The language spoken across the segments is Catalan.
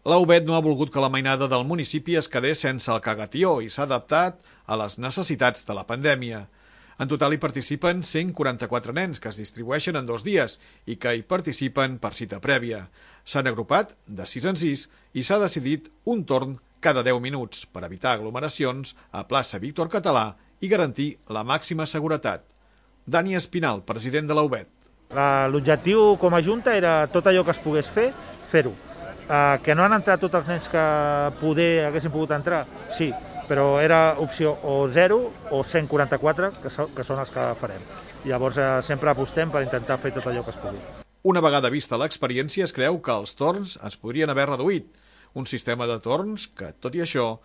La UBET no ha volgut que la mainada del municipi es quedés sense el cagatió i s'ha adaptat a les necessitats de la pandèmia. En total hi participen 144 nens que es distribueixen en 2 dies i que hi participen per cita prèvia. S'han agrupat de 6 en 6 i s'ha decidit un torn cada 10 minuts per evitar aglomeracions a plaça Víctor Català i garantir la màxima seguretat. Dani Espinal, president de la UBET. L'objectiu com a Junta era tot allò que es pogués fer, fer-ho. Que no han entrat tots els nens que poder haguessin pogut entrar, sí, però era opció o 0 o 144, que són els que farem. Llavors sempre apostem per intentar fer tot allò que es pugui. Una vegada vista l'experiència, es creu que els torns es podrien haver reduït. Un sistema de torns que, tot i això,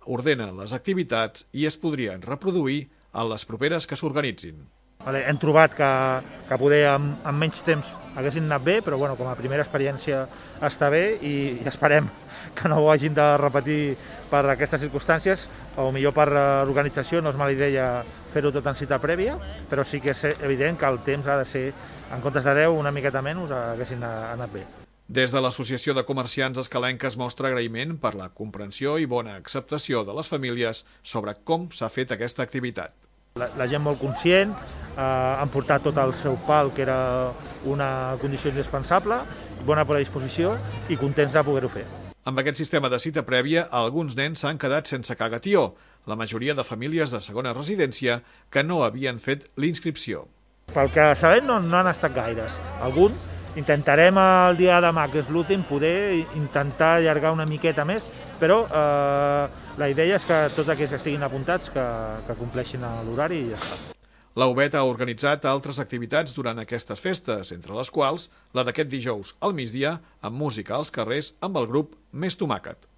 ordena les activitats i es podrien reproduir en les properes que s'organitzin. Hem trobat que poder amb menys temps haguessin anat bé, però com a primera experiència està bé i esperem que no ho hagin de repetir per aquestes circumstàncies. O millor per l'organització no és mala idea fer-ho tot en cita prèvia, però sí que és evident que el temps ha de ser, en comptes de 10, una miqueta menys, haguessin anat bé. Des de l'Associació de Comerciants Escalenques mostra agraïment per la comprensió i bona acceptació de les famílies sobre com s'ha fet aquesta activitat. La gent molt conscient, han portat tot el seu pal, que era una condició indispensable, bona predisposició i contents de poder-ho fer. Amb aquest sistema de cita prèvia, alguns nens s'han quedat sense cagatió, la majoria de famílies de segona residència que no havien fet l'inscripció. Pel que sabem no han estat gaires. Alguns intentarem el dia de demà, que és l'últim, poder intentar allargar una miqueta més, però la idea és que tots aquells que estiguin apuntats que compleixin l'horari i ja està. La UBET ha organitzat altres activitats durant aquestes festes, entre les quals la d'aquest dijous al migdia amb música als carrers amb el grup Més Tomàquet.